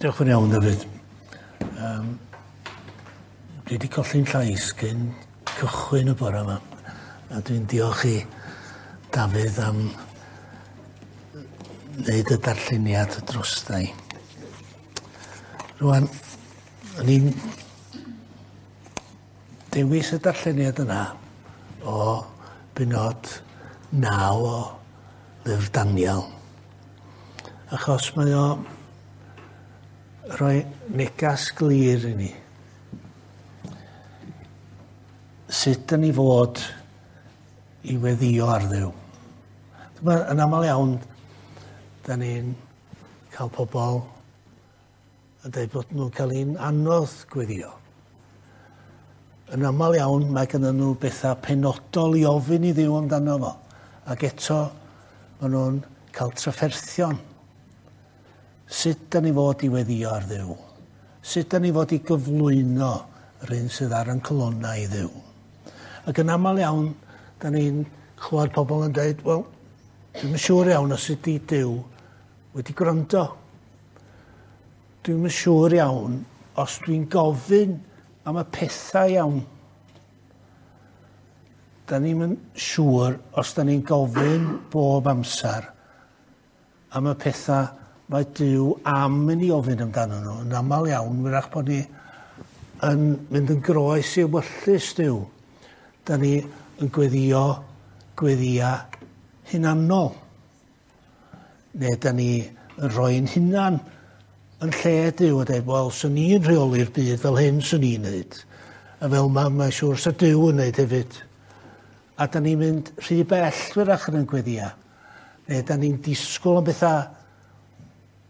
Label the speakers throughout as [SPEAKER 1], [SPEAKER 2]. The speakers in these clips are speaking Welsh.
[SPEAKER 1] Diolch yn iawn, David. Dwi wedi colli'n llais cyn cychwyn y bore yma. A dwi'n diolch i Dafydd am wneud y darlleniad drosta i. Rwan, o'n i'n dewis y darlleniad yna o benod 9 o lyfr Daniel. Achos mae o rhoi negas glir i ni. Sut dyn ni fod i weddio ar Dduw. Dyma, yn aml iawn, da ni'n cael pobl yn dweud bod nhw'n cael un anodd gweddio. Yn aml iawn, mae gennym nhw bethau penodol i ofyn i Dduw amdano fo. Ac eto, maen nhw'n cael trafferthion. Sut da ni fod i weddio ar Dduw? Sut da ni fod i gyflwyno yr hyn sydd ar ein colonnau i Dduw? Ac yn aml iawn, da ni'n clywed pobl yn dweud, wel, dwi'm yn siŵr iawn os ydy Duw wedi gwrando. Dwi'm yn siŵr iawn os dwi'n gofyn am y pethau iawn. Da ni'm yn siŵr os da ni'n gofyn bob amser am y pethau mae Duw am i ni ofyn amdano nhw. Yn aml iawn, wyrach bod ni yn mynd yn groes i ewyllys Duw. Da ni yn gweddio gweddia hunanol. Neu da ni yn rhoi'n hunan yn lle Duw a dweud, wel, swn i'n rheoli'r byd fel hyn swn i'n neud. A fel ma, mae'n siŵr sa Duw yn neud hefyd. A da ni'n mynd rhy bell wyrach yn ein gweddia. Neu da ni'n disgwyl am bethau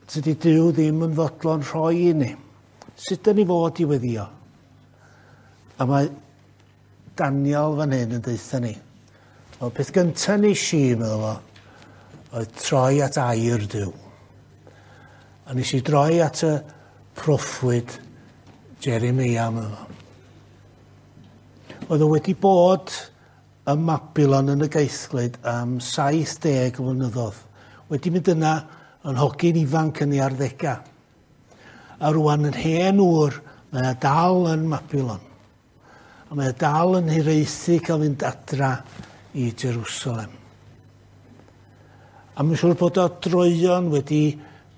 [SPEAKER 1] tydi Duw ddim yn fodlon rhoi i ni. Sut da ni fod i weddio? A mae Daniel fan hyn yn deutha ni. Wel, peth gyntaf nes i, meddwl fo, oedd troi at air Duw. A nes i droi at y proffwyd Jeremia, meddwl fo. Oedd o wedi bod ym Mabilon yn y gaethglud am 70 o flynyddoedd. Wedi mynd yna yn hogyn ifanc yn ei arddegau. A rwan yn hen ŵr, mae o dal yn Mabilon. A mae o dal yn hiraethu cael fynd adra i Jerusalem. A mae'n siŵr bod o droeon wedi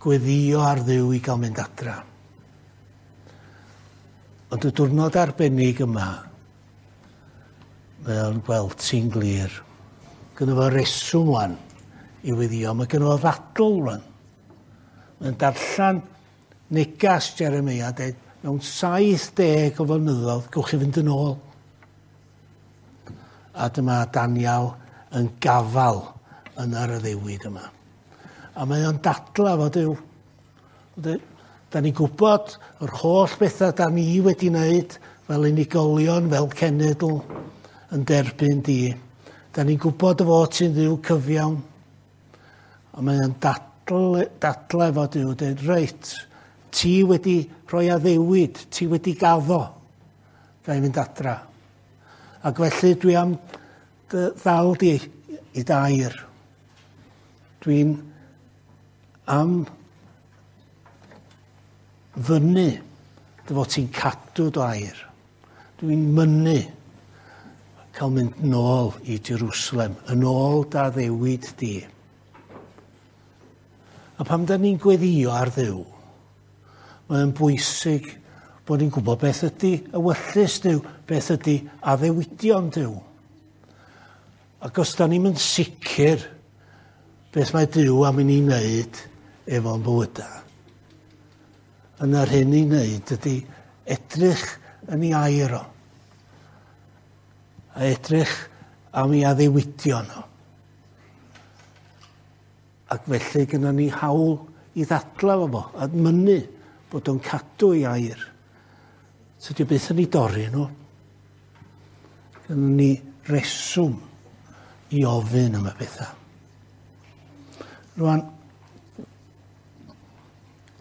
[SPEAKER 1] gweddio ar Dduw i gael mynd adra. Ond y diwrnod arbennig yma, mae o'n gweld ti'n glir. Gynno fo reswm wan i weddio. Mae gynno fo ddadl wan. Mae'n darllen negas Jeremia, dweud, mewn 70 o flynyddoedd, gewch chi fynd yn ôl. A dyma Daniel yn gafal yn yr addewid yma. A mae o'n dadla fo Duw. Da ni'n gwybod yr holl bethau da ni wedi wneud fel unigolion, fel cenedl, yn derbyn di. Da ni'n gwybod y fod ti'n Dduw cyfiawn. A mae o'n dadla efo Duw, dweud, reit, ti wedi rhoi addewid, ti wedi gaddo, ga i fynd adra. Ac felly dwi am dy ddal di i dair. Dwi'n am fyny dy fod ti'n cadw dy air. Dwi'n mynnu cael mynd nôl i Jerusalem, yn ôl dy addewid di. A pam da ni'n gweddio ar Dduw, mae'n bwysig bod ni'n gwybod beth ydy ewyllys Duw, beth ydy addewidion Duw. Ac os da ni'n mynd sicr beth mae Duw am i ni wneud efo'n bywydau, yna'r hyn i wneud ydy edrych yn ei air o, a edrych am ei addewidion o. Ac felly gyda ni hawl i ddadlau efo fo, a mynnu bod o'n cadw ei air. Tydi o byth yn ei dorri nhw. Gyda ni reswm i ofyn am y pethau. Rwan,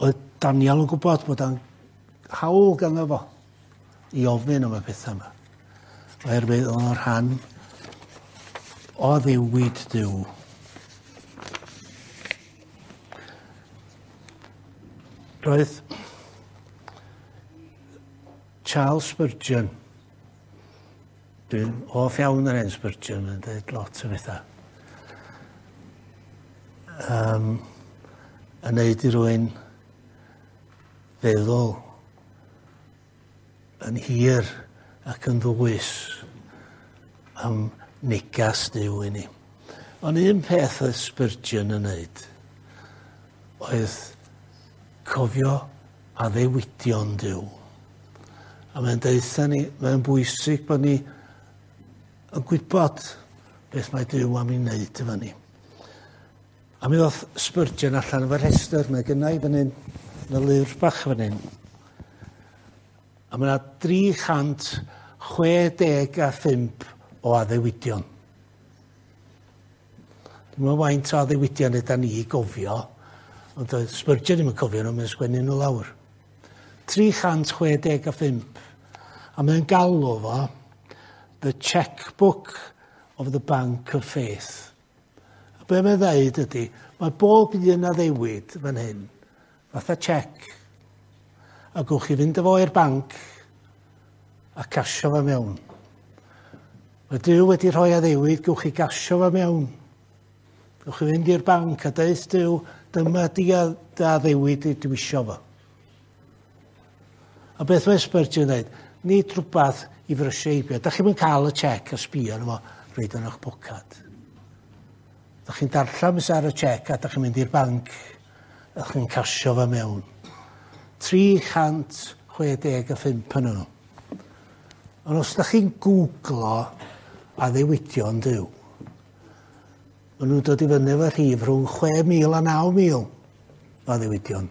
[SPEAKER 1] oedd Daniel yn gwybod bod o'n hawl ganddo fo i ofyn am y pethau yma. Oherwydd oedd o'n rhan o addewid Duw. Roedd Charles Spurgeon, dwi'n hoff iawn ar hen Spurgeon, mae'n dweud lot o bethau. Yn neud i rywun feddwl yn hir ac yn ddwys am negas Duw i ni. Ond un peth oedd Spurgeon yn neud oedd cofio addewidion Duw. A mae'n deutha ni, mae'n bwysig bod ni yn gwybod beth mae Duw am ei wneud efo ni. A mi ddoth Spurgeon allan efo'r rhestr, mae gynna i fan hyn, yn y lyfr bach fan hyn. A mae yna 365 o addewidion. Dwi'n meddwl faint o addewidion yda ni i gofio, ond oedd Spurgeon ddim yn cofio nhw, mae'n sgwennu nhw lawr. 365. A mae'n galw fo The Checkbook of the Bank of Faith. A be mae'n dweud ydy, mae bob un addewid fan hyn, fatha check, a gwch chi fynd efo i'r banc a casio fo mewn. Mae Duw wedi rhoi addewid, gwch chi gasio fo mewn. Gwch chi fynd i'r banc a deud Duw, dyma di addewid i dwi isio fo. A beth mae Spurgeon yn dweud? Nid rhywbeth i frysio heibio. Da chi'n cael y check a sbio arno fo reit yn eich pocad. Da chi'n darllen beth ar y check a da chi'n mynd i'r banc a chi'n casio fo mewn. 365 yn nhw. Ond os da chi'n googlo addewidion Duw, maen nhw'n dod i fyny efo rhif rhwng 6,000 a 9,000 o addewidion.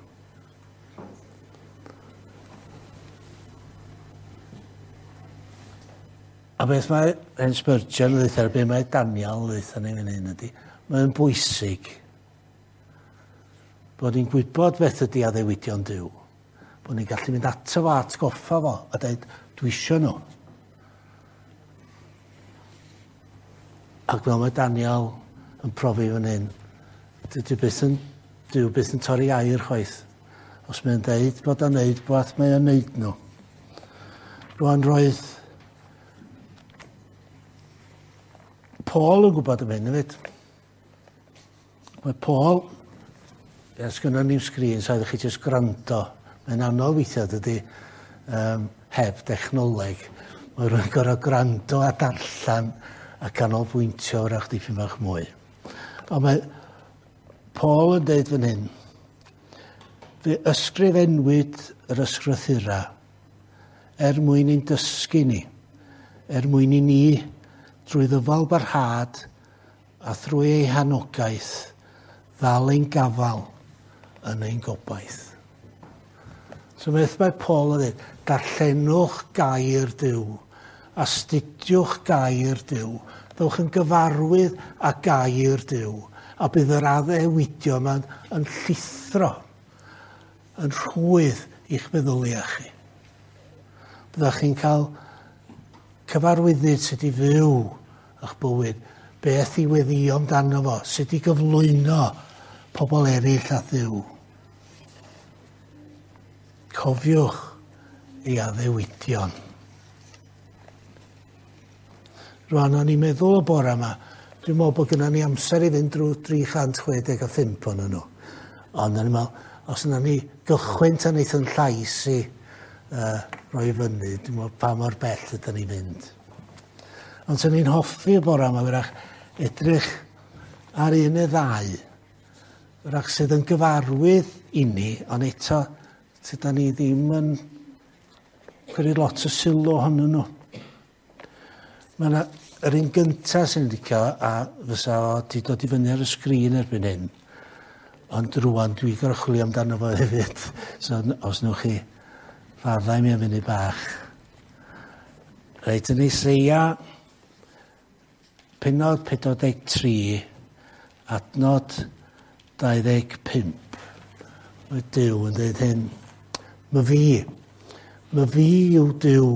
[SPEAKER 1] A beth mae hen Spurgeon yn dweud, beth mae Daniel yn dweud ni fan hyn ydy, mae'n bwysig bod ni'n gwybod beth ydy addewidion Duw. Bod ni'n gallu mynd ato fo, atgoffa fo, a dweud, dwi isio nhw. Ac fel mae Daniel yn profi fan hyn, dydy byth yn, Duw byth yn torri air chwaith. Os mae'n deud bod o'n neud bod mae o'n neud nhw. Rwan roedd Paul yn gwybod am hyn hefyd. Mae Paul, ia, sgynnon ni'm sgrin, so ydych chi jyst gwrando. Mae'n anodd weithiau, dydy, heb dechnoleg. Mae rhywun gorfod gwrando a darllen a canolbwyntio wrach dipyn bach mwy. Ond mae Paul yn deud fan hyn, fe ysgrifennwyd yr ysgrythura er mwyn i'n dysgu ni, er mwyn i ni drwy ddyfal barhad a thrwy ei hanogaeth ddal ein gafal yn ein gobaith. So beth mae Paul yn dweud, darllenwch gair Duw, astudiwch gair Duw, ddewch yn gyfarwydd â gair Duw, a bydd yr addewidion yma yn llithro, yn rhwydd i'ch meddyliau chi. Byddwch chi'n cael cyfarwyddyd sut i fyw eich bywyd, beth i weddïo amdano fo, sut i gyflwyno pobl eraill at Dduw. Cofiwch ei addewidion. Rwan, o'n i'n meddwl y bore yma, dwi'n meddwl bod gynnon ni amser i fynd drwy 365 ohonyn nhw. Ond o'n i'n meddwl, os yna ni gychwyn tan eith yn llais i roi fyny, dwi'n meddwl pa mor bell ydyn ni'n fynd. Ond swn i'n hoffi y bore yma, wrach, edrych ar un neu ddau, wrach sydd yn gyfarwydd i ni, ond eto, sydd ni ddim yn cymryd lot o sylw ohonyn nhw. Mae yna yr un gyntaf sy'n licio, a fysa o di dod i fyny ar y sgrin erbyn hyn, ond rwan dwi'n gorfod chwilio amdano fo hefyd. So os newch chi faddau mi am funud bach. Reit, yn Eseia, pennod 43, adnod 25. Mae Duw yn dweud hyn. Ma fi yw Duw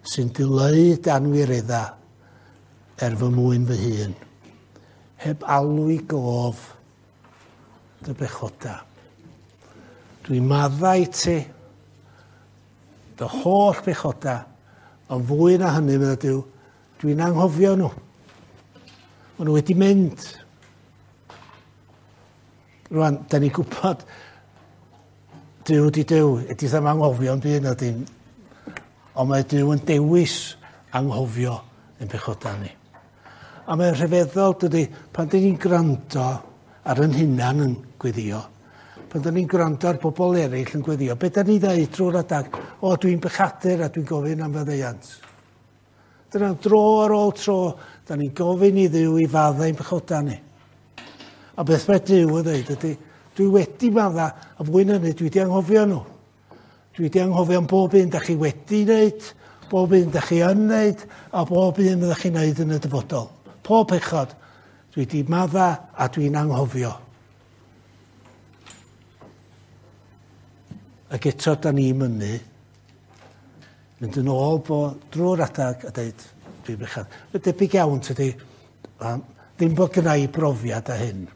[SPEAKER 1] sy'n dileu danwiredda er fy mwyn fy hun, heb alw i gof dy bechoda. Dwi'n maddau ti Dy holl bechoda, ond fwy na hynny, medda Duw, dwi'n anghofio nhw. Maen nhw wedi mynd. Rwan, da ni'n gwybod Duw di Duw, ydy ddim anghofio yn byd na dim. Ond mae Duw yn dewis anghofio ein pechoda ni. A mae'n rhyfeddol, dydy, pan dyn ni'n gwrando ar yn hunan yn gweddio, pan dyn ni'n gwrando ar bobl eraill yn gweddio, beth da ni ddeud drwy'r adag? O, dwi'n bechadur a dwi'n gofyn am faddeuant. Dyna dro ar ôl tro, da ni'n gofyn i Dduw i faddau ein pechoda ni. A beth mae Duw yn dweud ydy, dwi wedi madda, a fwy na hynny, dwi wedi anghofio nhw. Dwi wedi anghofio am bob un da chi wedi wneud, bob un da chi yn wneud, a bob un da chi'n wneud yn y dyfodol. Pob pechod, dwi wedi madda a dwi'n anghofio. Ac eto da ni'n mynnu, mynd yn ôl bo drwy'r adag a dweud, dwi'n bechad. Mae'n debyg iawn, tydi, ddim bod gynna i brofiad a hyn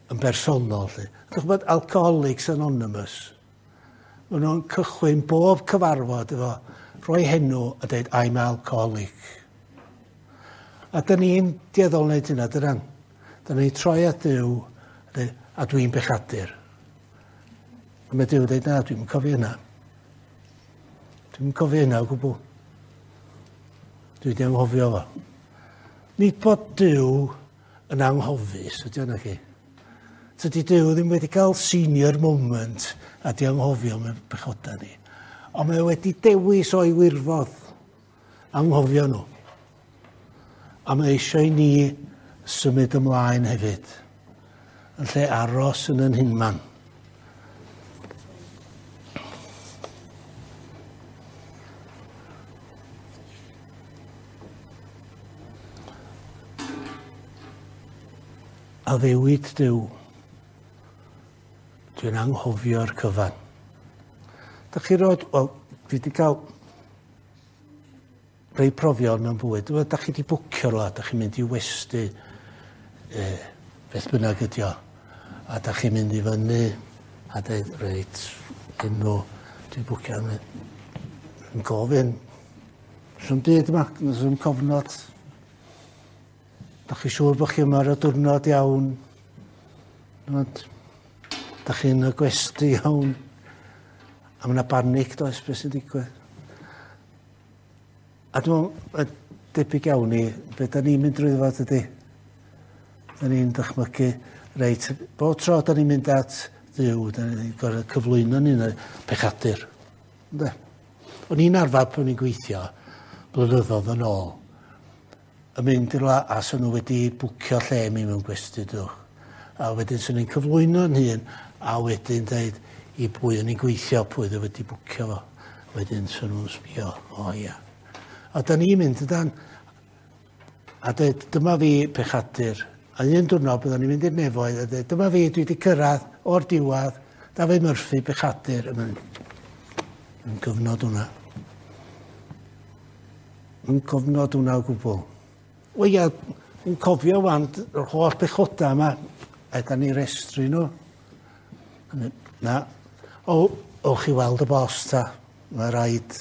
[SPEAKER 1] yn bersonol. Lly. Dych chi'n gwybod Alcoholics Anonymous? Maen nhw'n cychwyn bob cyfarfod efo rhoi henw a dweud, I'm alcoholic. A dyn ni'n dueddol wneud hynna, dydan? Dyn ni'n troi at Dduw a dweud, a dwi'n bechadur. A mae Duw yn dweud, na, dwi'n cofio hynna. Dwi'n cofio hynna o gwbl. Dwi wedi anghofio fo. Nid bod Duw yn anghofus, ydy o'na chi. Tydi Duw ddim wedi cael senior moment a di anghofio mewn pechoda ni. Ond mae wedi dewis o'i wirfodd anghofio nhw. A mae eisiau i ni symud ymlaen hefyd, yn lle aros yn yn hunman. Addewid Duw, dwi'n anghofio'r cyfan. Da chi roed, wel, dwi wedi cael rhai profion mewn bywyd. Da chi wedi bwcio rhywle, da chi'n mynd i westy, beth bynnag ydi o, a da chi'n mynd i fyny a dweud, reit, enw, dwi'n bwcio, yn gofyn, sy'n byd yma, sy'n cofnod. Da chi siŵr bod chi yma ar y diwrnod iawn? Da chi'n y gwesty iawn? A mae yna banig, does, beth sy'n digwydd? A dwi'n meddwl, debyg iawn i beth da ni'n mynd drwy fo, dydy. Da ni'n dychmygu, reit, bob tro da ni'n mynd at Dduw, da ni'n gorfod cyflwyno ni'n y pechadur. Ynde? O'n i'n arfer pan o'n i'n gweithio blynyddoedd yn ôl, yn mynd i rywle a 'sen nhw wedi bwcio lle mi mewn gwesty, dwch. A wedyn 'swn i'n cyflwyno'n hun a wedyn dweud i bwy o'n i'n gweithio, pwy oedd wedi bwcio fo. Wedyn 'swn nhw'n sbio, o ia. A da ni'n mynd ydan, a dweud, dyma fi pechadur. A un diwrnod byddwn ni'n mynd i'r nefoedd a dweud, dyma fi, dwi wedi cyrraedd o'r diwedd, Dafydd Murphy, pechadur. Yn gyfnod hwnna. Yn gofnod hwnna o gwbl. Wel ia, yn cofio wan yr holl bechoda yma, a da ni restru nhw. Na. O, owch chi weld y bos ta. Mae rhaid,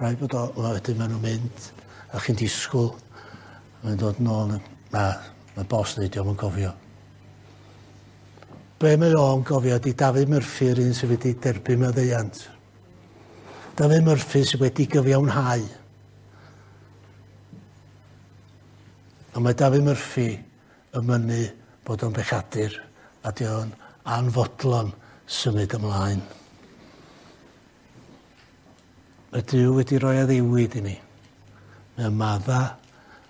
[SPEAKER 1] rhaid bod o, wedyn maen nhw'n mynd, a chi'n disgwyl, mae'n dod nôl. Na, mae bos dweud, dio'm yn cofio. Be mae o'n gofio ydy Dafydd Murphy, yr un sydd wedi derbyn maddeuant. Dafydd Murphy sydd wedi gyfiawnhau. A mae Dafydd Murphy yn mynnu bod o'n bechadur a di o'n anfodlon symud ymlaen. Mae Duw wedi rhoi addewid i ni. Mae'n madda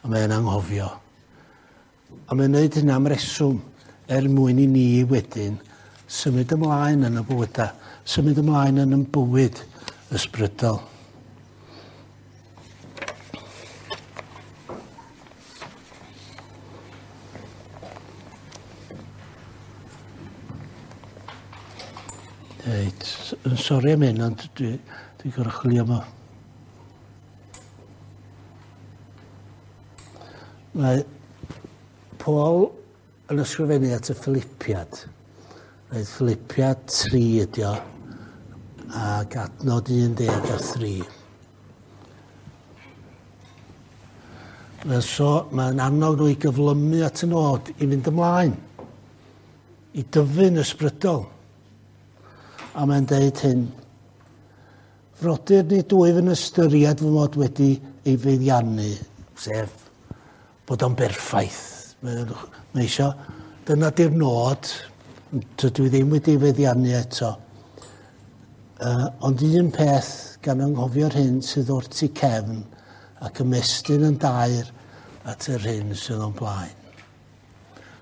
[SPEAKER 1] a mae'n anghofio. A mae'n gwneud hynna am reswm er mwyn i ni wedyn symud ymlaen yn y bywydau, symud ymlaen yn y bywyd ysbrydol. Reit, yn sori am hyn, ond dwi'n gorfod chwilio am o. Mae Paul yn ysgrifennu at y Philipiad. Reit, Philipiad 3 ydi o. Ac adnod 13. So, mae'n annog nhw i gyflymu at y nod i fynd ymlaen, i dyfu'n ysbrydol. A mae'n deud hyn, frodyr nid wyf yn ystyried fy mod wedi ei feddiannu, sef bod o'n berffaith. Mae eisiau, dyna di'r nod, dydw i ddim wedi ei feddiannu eto. Ond un peth gan anghofio'r hyn sydd o'r tu cefn ac ymestyn yn dair at yr hyn sydd o'n blaen.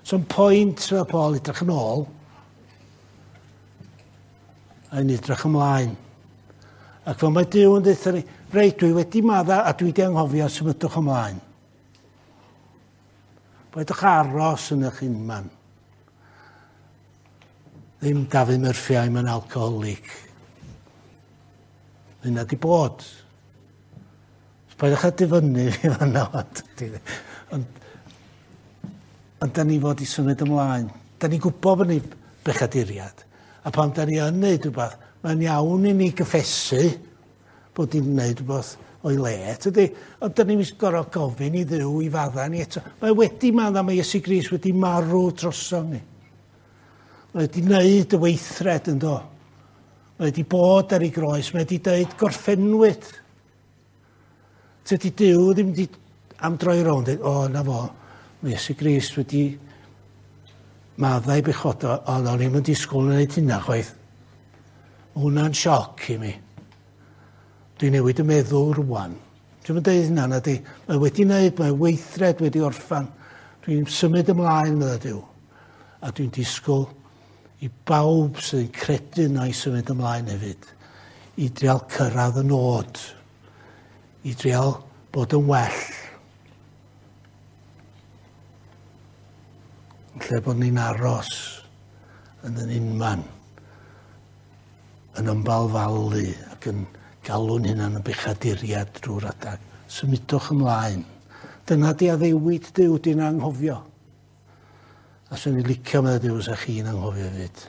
[SPEAKER 1] So'n pwynt mae Paul edrych yn ôl a yn edrych ymlaen. Ac fel mae Duw yn dweud ni, reit, dwi wedi madda a dwi wedi anghofio, symudwch ymlaen. Peidiwch aros yn eich unman. Ddim Dafydd Murphy, I'm an alcoholic. Hynna di bod. Peidiwch â difynnu fi fan'na. Ond da ni fod i symud ymlaen. Da ni'n gwybod bod ni bechaduriad. A pan da ni yn neud rhywbeth, mae'n iawn i ni gyffesu bod ni'n neud rhywbeth o'i le. Tydi? Ond da ni'n gorfod gofyn i Dduw i fadda ni eto. Mae wedi madda, mae Iesu Grist wedi marw drosom ni. Mae wedi wneud y weithred yn do. Mae wedi bod ar ei groes, mae wedi dweud gorffennwyd. Tydi Duw ddim wedi am droi rownd, dweud, o, na fo, mae Iesu Grist wedi maddau bechodo, ond o'n i'm yn disgwyl yn gwneud hynna chwaith. Mae hwnna'n sioc i mi. Dwi'n newid y meddwl rwan. Dwi'n mynd dweud hynna, na di. Mae wedi wneud, mae weithred wedi orffan. Dwi'n symud ymlaen, medda Duw. A dwi'n disgwyl i bawb sy'n credu yna i symud ymlaen hefyd. I drial cyrraedd y nod. I drial bod yn well. Lle bod ni'n aros yn yn unman, yn ymbalfalu ac yn galw'n hunan yn bechaduriad drwy'r adag. Symudwch ymlaen. Dyna di addewid Duw di'n anghofio. A swn i'n licio meddwl Duw sa chi'n anghofio hefyd.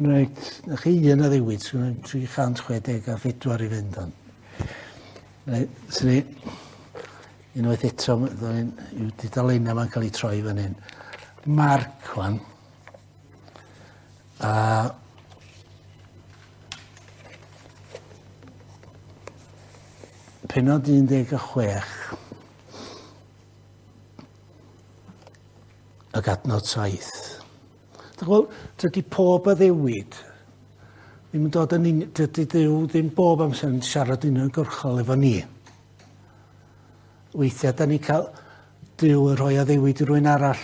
[SPEAKER 1] Reit, na chi un addewid, swn i'n 364 i fynd on. Reit, swn i unwaith eto, i'w dudalennau ma'n cael ei troi fan hyn. Marc, wan. A penod 16 ac adnod 7. Dych dydy pob addewid ddim yn dod yn dydy Duw ddim bob amser yn siarad uniongyrchol efo ni. Weithiau da ni cael Duw yn rhoi addewid i rywun arall,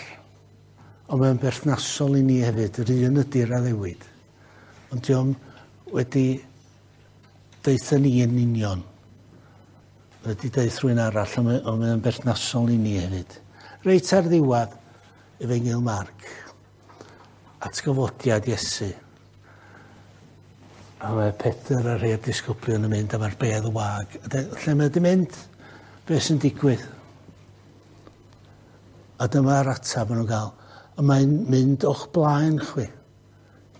[SPEAKER 1] ond mae'n berthnasol i ni hefyd, yr un ydy'r addewid. Ond dio'm wedi deutha ni yn union. Wedi deutha rhywun arall, ond mae'n berthnasol i ni hefyd. Reit ar ddiwedd Efengyl Marc, atgyfodiad Iesu. A mae Pedr a rhai o'r disgyblion yn mynd a mae'r bedd wag. Lle mae wedi mynd? Be sy'n digwydd? A dyma'r ateb maen nhw'n gael. A mae'n mynd o'ch blaen chwi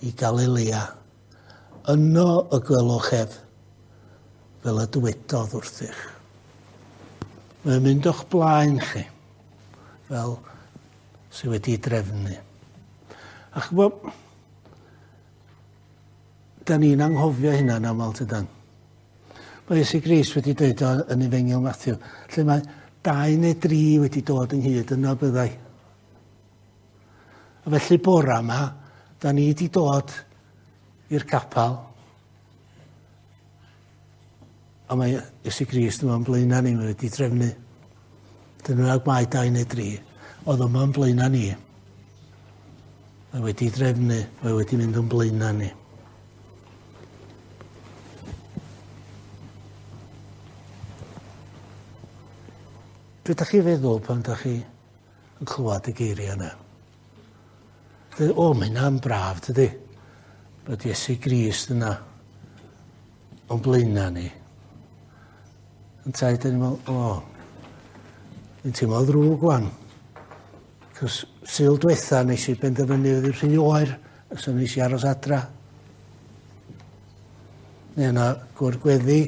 [SPEAKER 1] i Galilea. Yno y gwelwch ef, fel y dywedodd wrthych. Mae'n mynd o'ch blaen chi, fel sydd wedi drefnu. A ch'bo, da ni'n anghofio hynna'n aml tydan. Mae Iesu Grist wedi dweud o yn Efengyl Mathew, lle mae 2 neu 3 wedi dod ynghyd yno byddai. A felly bora yma, da ni wedi dod i'r capel, a mae Iesu Grist yma'n blaenau ni, mae wedi trefnu. Dyna ag mae 2 neu 3, oedd yma'n blaenau ni. Mae wedi drefnu, mae wedi mynd yn blaenau ni. Be ydych chi feddwl pan ydych chi yn clywed y geiriau yna? O, mae hynna'n braf, dydy. Bod Iesu Grist yna o'n blaenau ni. Yntau, dyn ni'n meddwl, o, dwi'n teimlo ddrwg wan. Cos Sul diwetha nes i benderfynu oedd hi'n rhy oer So nes i aros adra. Neu yna gwr gweddi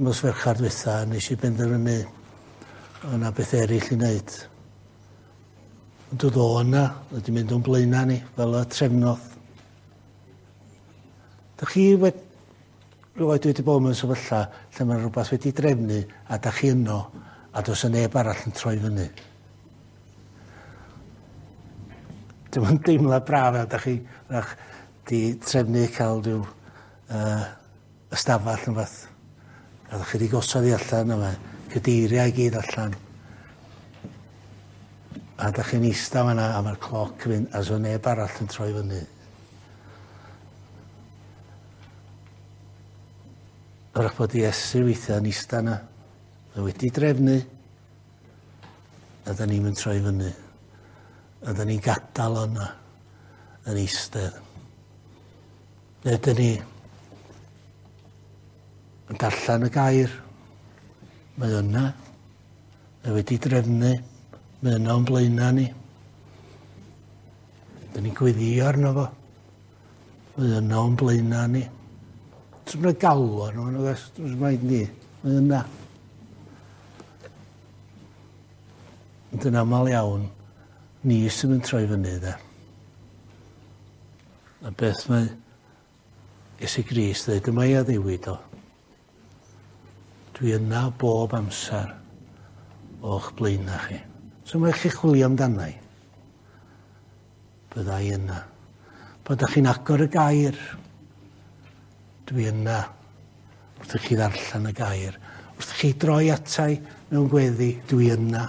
[SPEAKER 1] nos Fercher dwytha, nes i benderfynu yna beth eraill i wneud. Ond dod o yna, wedi mynd o'n blaenau ni, fel y trefnodd. Dych chi wedi rioed wedi bod mewn sefyllfa lle mae rhywbeth wedi drefnu a da chi yno a does yna neb arall yn troi fyny. Dim yn deimlad braf a da chi rach, di trefnu cael rhyw ystafell yn fath. A da chi wedi gosod i allan yma, cadeiriau i gyd allan. A da chi'n eista fan'na a mae'r cloc yn mynd a so neb arall yn troi fyny. Wrach bod Iesu weithiau yn eista yna. Mae wedi drefnu. A da ni'n mynd troi fyny. A da ni'n gadael yna yn eistedd. Neu dyn ni yn darllen y gair. Mae yna. Mae wedi drefnu. Mae yna o'n blaenau ni. Dyn ni'n gweddio arno fo. Mae yna o'n blaenau ni. Dwi'n mynd galw arno fo, dwi'n rhaid ni. Mae yna. Ond yn aml iawn, ni sy'n mynd troi fyny, de. A beth mae Iesu Grist dweud, dyma i addewid o. Dwi yna bob amser o'ch blaenau chi. So mae chi chwilio amdanau. Bydda i yna. Pan ydych chi'n agor y gair, dwi yna. Wrth i chi ddarllen y gair. Wrth i chi droi atai mewn gweddi, dwi yna.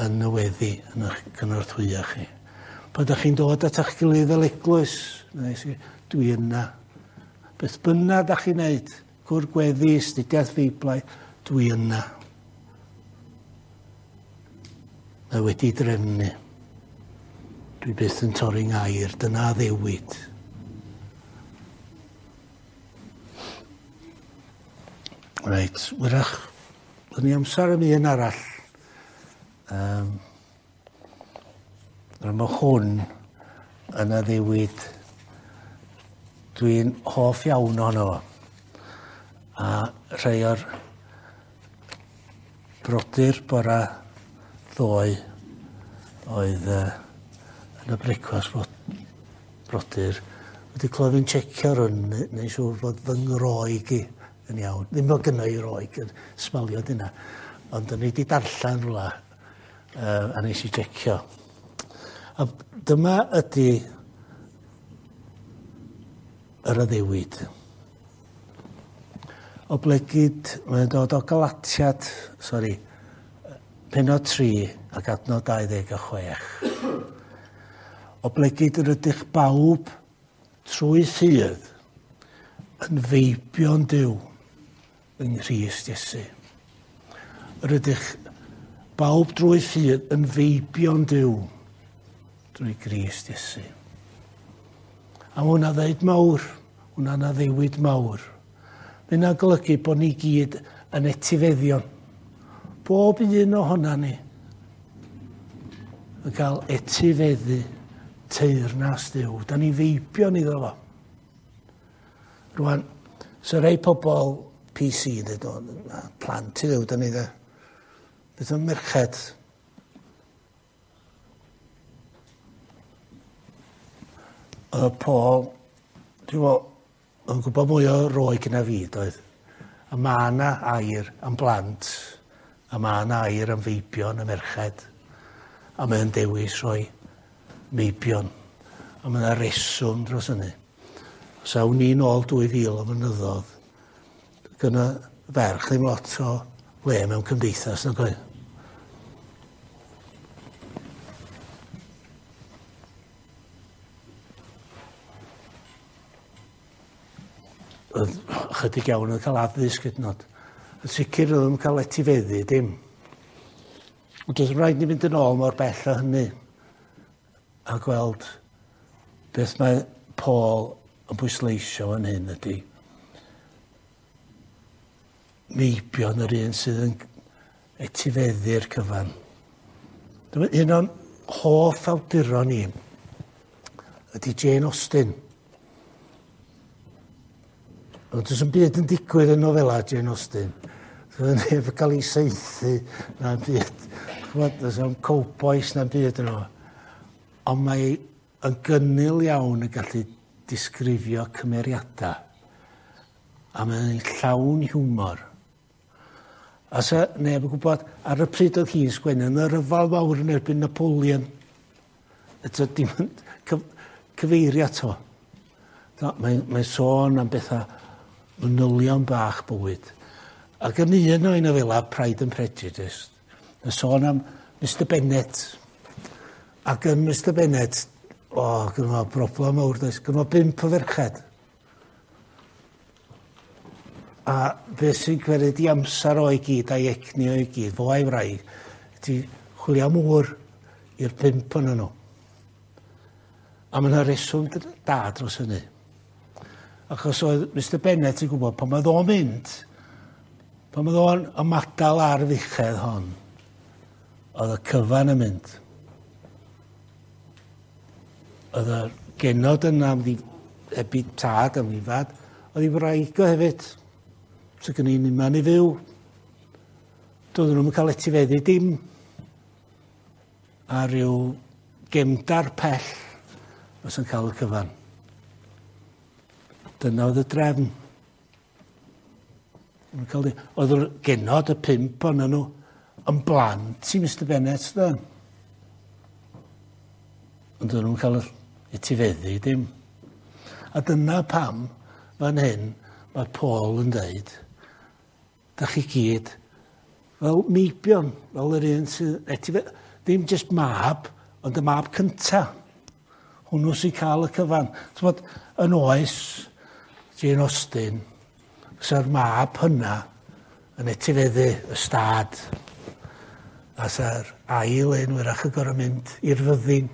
[SPEAKER 1] Yn y weddi, yn eich cynorthwyo chi. Pan ydych chi'n dod at eich gilydd fel eglwys, dwi yna. Beth bynnag ydych chi'n neud, cwr gweddi, astudiaeth Feiblaidd, dwi yna. Mae wedi drefnu. Dwi byth yn torri ngair, dyna addewid. Reit, wyrach, byddwn ni amser am un arall. Mae hwn yn addewid dwi'n hoff iawn ohono fo. A rhai o'r brodyr bora ddoe oedd yn y brecwast brodyr wedi clywed fi'n checio rhwng neu siŵr bod fy ngroeg i yn iawn. Ddim bod gynna i roeg yn smalio dyna. Ond o'n i wedi darllen rhywle a nes i checio. A dyma ydy yr addewid. Oblegid, mae'n dod o Galatiad, sori, penod 3 ac adnod 26. Oblegid yr ydych bawb trwy ffydd yn feibion Duw yng Nghrist Iesu. Yr ydych bawb drwy ffydd yn feibion Duw drwy Grist Iesu. A mae hwnna ddeud mawr, hwnna'n addewid mawr. Mae hynna'n golygu bod ni gyd yn etifeddion. Bob un ohona ni yn cael etifeddu teyrnas Duw. Da ni feibion iddo fo. Rwan, so rei pobl PC yn dweud, plant i Dduw, da ni dde. Beth am merched? Oedd Paul, dwi'n meddwl, yn gwybod mwy o roeg na fi, doedd. A mae yna air am blant, a mae yna air am feibion a merched, a mae'n dewis rhoi meibion. A mae yna reswm dros hynny. Os awn ni nôl 2000 o flynyddoedd, gyda ferch ddim lot o le mewn cymdeithas, nag oedd? Oedd ychydig iawn yn cael addysg hyd yn oed. Yn sicr oedd yn cael etifeddu dim. Ond doedd rhaid ni fynd yn ôl mor bell â hynny a gweld beth mae Paul yn pwysleisio yn hyn ydy meibion yr un sydd yn etifeddu'r cyfan. Un o'n hoff awduron ni ydy Jane Austen. Ond does 'm byd yn digwydd yn nofela Jane Austen. Doedd neb yn cael ei saethu na'n byd. Ch'mod, does 'na'm cowbois na'n byd yno. Ond mae yn gynnil iawn yn gallu disgrifio cymeriadau. A mae'n llawn hiwmor. A sa neb yn gwybod, ar y pryd oedd hi'n sgwennu, yn y rhyfel mawr yn erbyn Napoleon. Eto, dim yn cyfeirio ato. Mae'n sôn am bethau manylion bach bywyd. Ac yn un o'i nofela, Pride and Prejudice, mae'n sôn am Mr Bennet. Ac yn Mr Bennet, o, gynno fo broblem mawr, does? Gynno fo 5 o ferched. A beth sy'n gwerid i amser o'i gyd a'i egni o'i gyd, fo a'i wraig, ydy chwilio am ŵr i'r 5 ohonyn nhw. A mae yna reswm da dros hynny. Achos oedd Mr Bennet yn gwybod pan oedd o'n mynd, pan oedd o'n ymadael ar y fuchedd hon, oedd y cyfan yn mynd. Oedd y genod yna am ddi, heb i tad am ddifad, oedd ei wraig o hefyd. So gen i'n unman i fyw. Doedden nhw'n cael etifeddu dim. A rhyw gefndar pell fysa'n cael y cyfan. Dyna oedd y drefn. Oedd yr genod, y 5 ohonyn nhw, yn blant i Mr Bennet, dda. Ond oedden nhw'n cael etifeddu dim. A dyna pam, fan hyn, mae Paul yn dweud, da chi gyd fel meibion, fel yr un sydd etifeddu, ddim jyst mab, ond y mab cynta. Hwnnw sy'n cael y cyfan. T'mod, yn oes Jane Austen, fysa'r mab hynna yn etifeddu y stad. A sa'r ail un wyrach yn gorfod mynd i'r fyddin.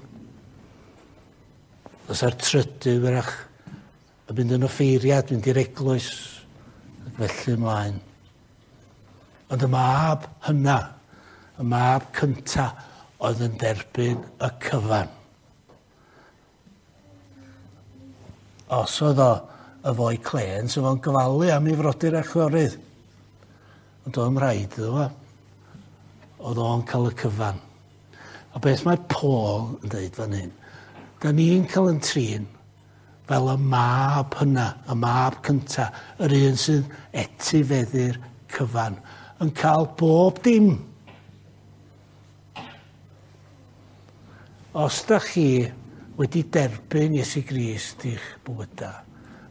[SPEAKER 1] Fysa'r trydydd wyrach yn mynd yn offeiriad, mynd i'r eglwys, ac felly ymlaen. Ond y mab hynna, y mab cynta, oedd yn derbyn y cyfan. Os oedd o y foi clên, so fo'n gofalu am ei frodyr a chwiorydd. Ond oedd o'n rhaid iddo fo. Oedd o'n cael y cyfan. A beth mae Paul yn dweud fan hyn, da ni'n cael yn trin fel y mab hynna, y mab cynta, yr un sydd etifeddu'r cyfan, yn cael bob dim. Os da chi wedi derbyn Iesu Grist i'ch bywydau,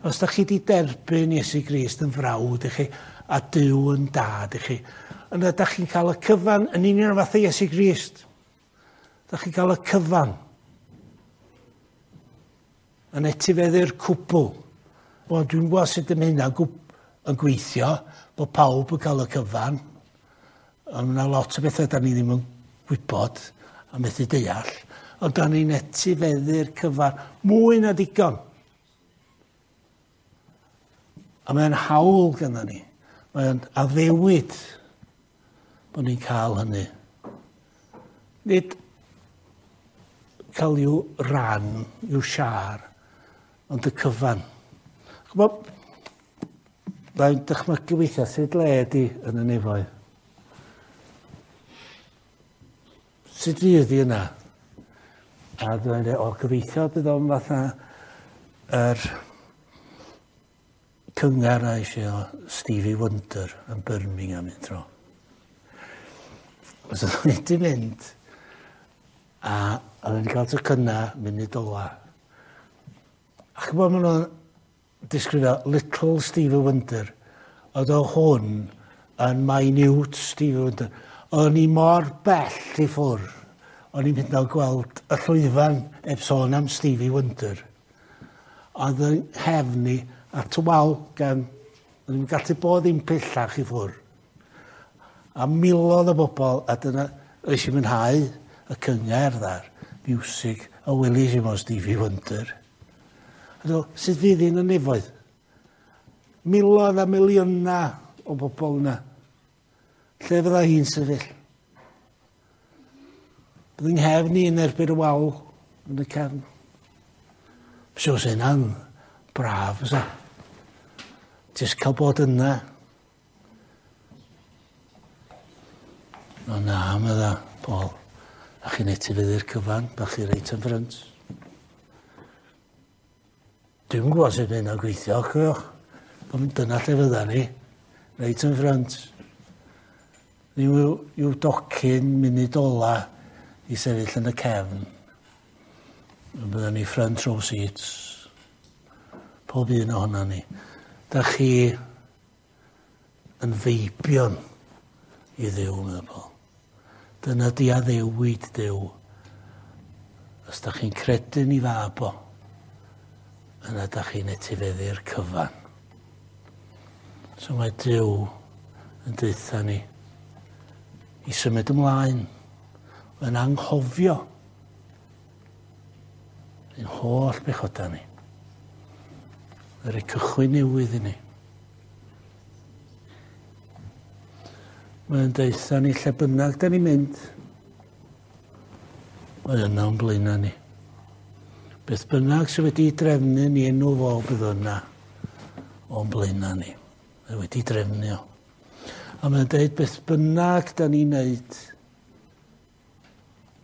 [SPEAKER 1] os da chi wedi derbyn Iesu Grist yn frawd i chi a Duw yn dad i chi, yna da chi'n cael y cyfan yn union fath o Iesu Grist. Da chi'n cael y cyfan. Yn etifeddu'r cwbl. Wel, dwi'n gwybod sut y mae hynna'n yn gweithio, bod pawb yn cael y cyfan. Ond mae yna lot o bethau da ni ddim yn gwybod a methu deall. Ond da ni'n etifeddu'r cyfan mwy na digon. A mae'n hawl gynnon ni. Mae'n addewid bod ni'n cael hynny. Nid cael i'w ran, i'w siar, ond y cyfan. Ch'mod, mae'n dychmygu weithiau sut le ydi yn y nefoedd. Sut fydd hi yna? A dwi'n dweud, o, gobeithio bydd o'n fatha yr cyngar a eisiau o Stevie Wonder yn Birmingham un tro. Os oedd wedi mynd, a oedd wedi cael tocyna munud ola. A ch'mod maen nhw'n disgrifio Little Stevie Wonder, oedd o hwn yn minute Stevie Wonder. O'n i mor bell i ffwrdd, o'n i'n mynd o gweld y llwyfan heb sôn am Stevie Wonder. Oedd yn nghefn i at y wal gan, o'n i'n gallu bod ddim pellach i ffwrdd. A miloedd o bobl, a dyna, oes i mwynhau y cyngerdd a'r miwsig, a welis i mo Stevie Wonder. A dwi, sut fydd hi'n y nefoedd? Miloedd a miliynau o bobl yna. Lle fydda hi'n sefyll? Bydd yng nghefn i yn erbyn y wal yn y cefn. Siwr sy'n hynna'n braf, fysa. Jyst cael bod yna. O na, medda Paul. A chi'n etifeddu'r cyfan, bach chi reit yn ffrynt. Dwi'm yn gwybod sut mae hynna'n gweithio, cofiwch. Ond dyna lle fydda ni, reit yn ffrynt. Ni yw docyn munud ola i sefyll yn y cefn. Bydda ni front row seats. Pob un ohono ni. Da chi yn feibion i Dduw, medda Paul. Dyna di addewid Duw. Os da chi'n credu yn ei fab o, yna da chi'n etifeddu'r cyfan. So mae Duw yn deutha ni i symud ymlaen, yn anghofio ein holl bechoda ni. Yr cychwyn newydd i ni. Mae'n deutha ni lle bynnag da ni'n mynd. Mae yna o'n blaenau ni. Beth bynnag sydd wedi drefnu ni enw fo bydd yna o'n blaenau ni. Mae wedi drefnu o. A mae'n deud beth bynnag da ni'n neud,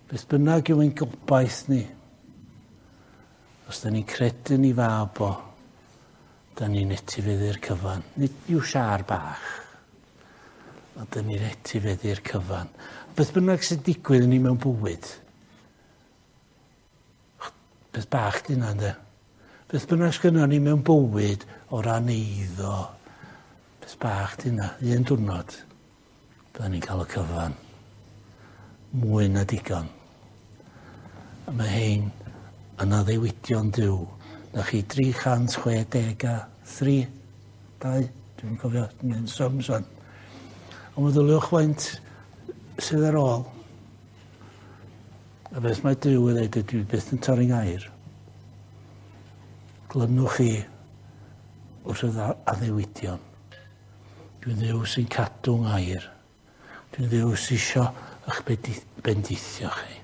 [SPEAKER 1] beth bynnag yw ein gobaith ni, os da ni'n credu ni fab o, da ni'n etifeddu'r cyfan. Nid yw siar bach, ond da ni'n etifeddu'r cyfan. Beth bynnag sy'n digwydd i ni mewn bywyd, beth bach di hynna, ynddo? Beth bynnag sgynnon ni mewn bywyd o ran eiddo, beth bach di hynna. Un diwrnod, byddwn ni'n cael y cyfan. Mwy na digon. A mae hein yn addewidion Duw. Na chi 363, 2, dwi'n cofio, dwi'n sums o'n. Ond meddyliwch faint sydd ar ôl. A beth mae Duw yn dweud, dwi byth yn torri ngair. Glynwch chi wrth y addewidion. Dwi'n Dduw sy'n cadw ngair. Dwi'n Dduw sy'n isio eich bendithio chi.